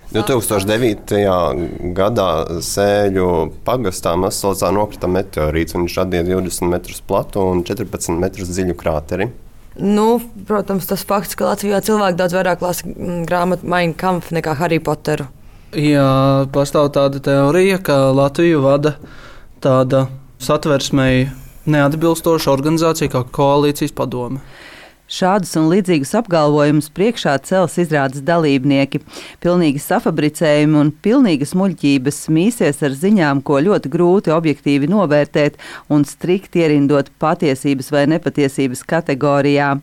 2009. gadā Sēļu pagastā Mazsalcā nokrita meteorīts. Viņš radīja 20 metrus platu un 14 metrus dziļu krāteri. Protams, tas fakts, ka Latvijā cilvēki daudz vairāk lasa grāmatu Mein Kampf nekā Harry Potteru. Jā, pastāv tāda teorija, ka Latviju vada tāda satversmei neatbilstoša organizācija kā Koalīcijas padome. Šādus un līdzīgus apgalvojumus priekšā cels izrādes dalībnieki. Pilnīgi safabricējumi un pilnīgas muļķības mīsies ar ziņām, ko ļoti grūti objektīvi novērtēt un strikt ierindot patiesības vai nepatiesības kategorijā.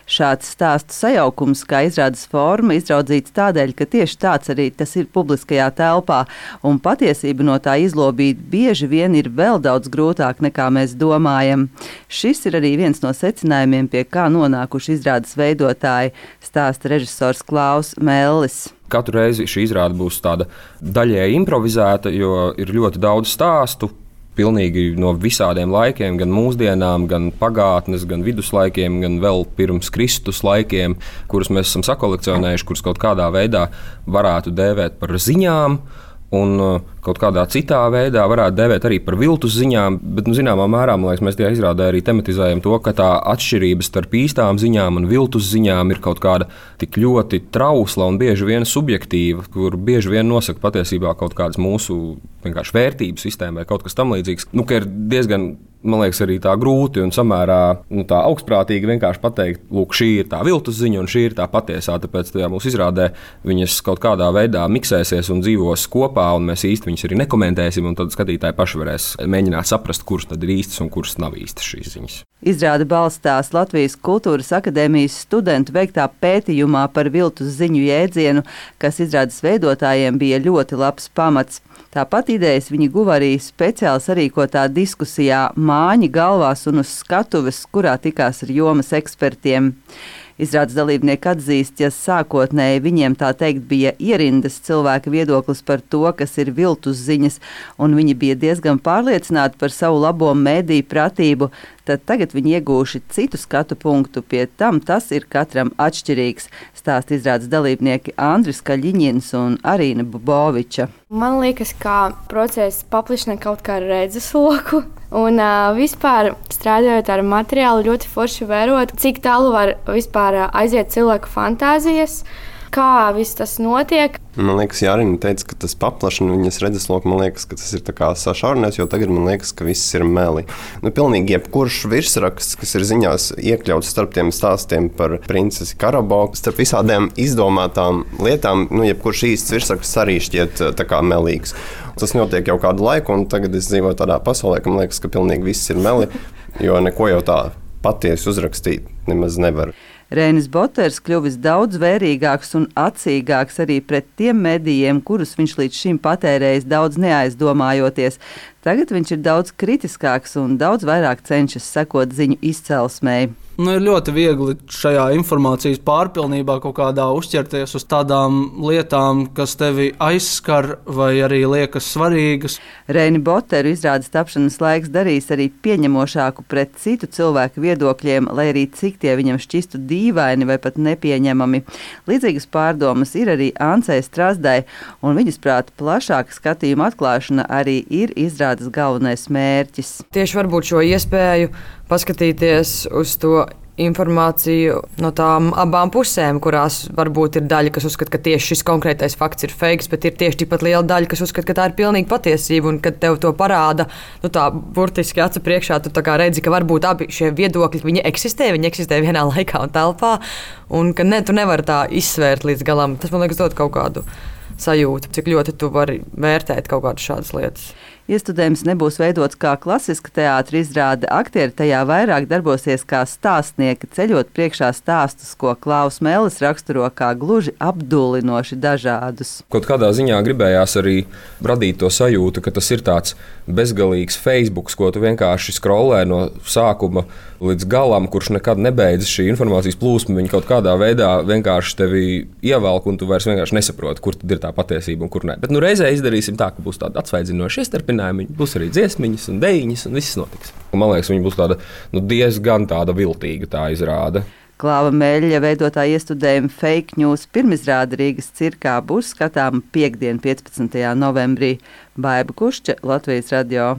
Šāds stāstu sajaukums, kā izrādes forma, izraudzīts tādēļ, ka tieši tāds arī tas ir publiskajā telpā, un patiesību no tā izlobīt bieži vien ir vēl daudz grūtāk nekā mēs domājam. Šis ir arī viens no secinājumiem, pie kā nonākuši izrādes veidotāji, stāsta režisors Klaus Mellis. Katru reizi šī izrāde būs tāda daļēji improvizēta, jo ir ļoti daudz stāstu. Pilnīgi no visādiem laikiem, gan mūsdienām, gan pagātnes, gan viduslaikiem, gan vēl pirms Kristus laikiem, kurus mēs esam sakolekcionējuši, kurus kaut kādā veidā varētu dēvēt par ziņām, un kaut kādā citā veidā varētu dēvēt arī par viltus ziņām, bet zināmā mērā, man liekas, mēs tajā izrādē arī tematizējam to, ka tā atšķirība starp īstām ziņām un viltus ziņām ir kaut kāda tik ļoti trausla un bieži vien subjektīva, kur bieži vien nosaka patiesībā kaut kādas mūsu vienkārši vērtību sistēma vai kaut kas tam līdzīgs, ka ir diezgan, man liekas, arī tā grūti un samērā tā augstprātīgi vienkārši pateikt, lūk, šī ir tā viltus ziņa un šī ir tā patiesā, tāpēc tajā mūsu izrādē viņas kaut kādā veidā miksēsies un dzīvos kopā, un mēs īsti viņas arī nekomentēsim, un tad skatītāji paši varēs mēģināt saprast, kuras tad ir īstas un kuras nav īstas šīs ziņas. Izrāde balstās Latvijas Kultūras akadēmijas studentu veiktā pētījumā par viltus ziņu jēdzienu, kas izrādes veidotājiem bija ļoti labs pamats. Tāpat idejas viņi guva arī speciāli sarīkotā diskusijā Māņi galvās un uz skatuves, kurā tikās ar jomas ekspertiem. Izrādes dalībnieki atzīst, ja sākotnēji viņiem tā teikt bija ierindas cilvēka viedoklis par to, kas ir viltus ziņas, un viņi bija diezgan pārliecināti par savu labo mēdīju pratību, tad tagad viņi iegūši citu skatu punktu, pie tam tas ir katram atšķirīgs, stāsta izrādes dalībnieki Andris Kaļiņins un Arīna Buboviča. Man liekas, ka process paplišina kaut kā redzesloku, un vispār strādājot ar materiālu ļoti forši vērot, cik tālu var vispār aiziet cilvēku fantāzijas, kā viss tas notiek. Man liekas, Jārina teica, ka tas paplašina viņas redzesloku. Man liekas, ka tas ir tā kā sašaurinās, jo tagad man liekas, ka viss ir meli. Pilnīgi jebkurš virsraksts, kas ir ziņās iekļauts starp tiem stāstiem par princesi Karabo, starp visādiem izdomātām lietām, jebkurš īsts virsraksts arī šķiet tā kā melīgs. Tas notiek jau kādu laiku, un tagad es dzīvoju tādā pasaulē, ka man liekas, ka pilnīgi viss ir meli, jo neko jau tā patiesi uzrakstīt nemaz nevar. Reinis Boters kļuvis daudz vērīgāks un atsīgāks arī pret tiem medijiem, kurus viņš līdz šim patērējis daudz neaizdomājoties. Tagad viņš ir daudz kritiskāks un daudz vairāk cenšas sekot ziņu izcelsmei. Ir ļoti viegli šajā informācijas pārpilnībā kaut kādā uzķerties uz tādām lietām, kas tevi aizskar vai arī liekas svarīgas. Reini Boteru izrādes tapšanas laiks darīs arī pieņemošāku pret citu cilvēku viedokļiem, lai arī cik tie viņam šķistu dīvaini vai pat nepieņemami. Līdzīgas pārdomas ir arī Ancei Strazdai, un viņas prāta plašāka skatījuma atklāšana arī ir izrādes galvenais mērķis. Tieši varbūt šo iespēju paskatīties uz to informāciju no tām abām pusēm, kurās varbūt ir daļa, kas uzskata, ka tieši šis konkrētais fakts ir fakes, bet ir tieši tikpat liela daļa, kas uzskata, ka tā ir pilnīga patiesība, un kad tev to parāda, tā burtiski acu priekšā, tu tā kā redzi, ka varbūt abi šie viedokļi, viņi eksistē vienā laikā un telpā, un ka tu nevari tā izsvērt līdz galam. Tas, man liekas, dod kaut kādu sajūtu, cik ļoti tu vari vērtēt kaut kādas šādas lietas. Iestudējums nebūs veidots kā klasiska teātra izrāde. Aktieri tajā vairāk darbosies kā stāstnieki, ceļot priekšā stāstus, ko Klaus Mellis raksturo kā gluži apdullinoši dažādus. Kaut kādā ziņā gribējās arī radīt to sajūtu, ka tas ir tāds bezgalīgs Facebook, ko tu vienkārši scrollē no sākuma līdz galam, kurš nekad nebeidzas šī informācijas plūsma. Viņa kaut kādā veidā vienkārši tevi ievelk, un tu vairs vienkārši nesaproti, kur tad ir tā patiesība un kur ne. Bet reizē izdarīsim tā, ka būs tāda atsvaidzinoša iestarpinājuma, būs arī dziesmiņas un dejiņas, un viss notiks. Man liekas, viņa būs tāda diezgan tāda viltīga tā izrāde. Klāva Meļļa veidotā iestudējuma Fake News pirmizrāde Rīgas cirkā būs skatāma piektdien, 15. novembrī. Baiba Kušča, Latvijas radio.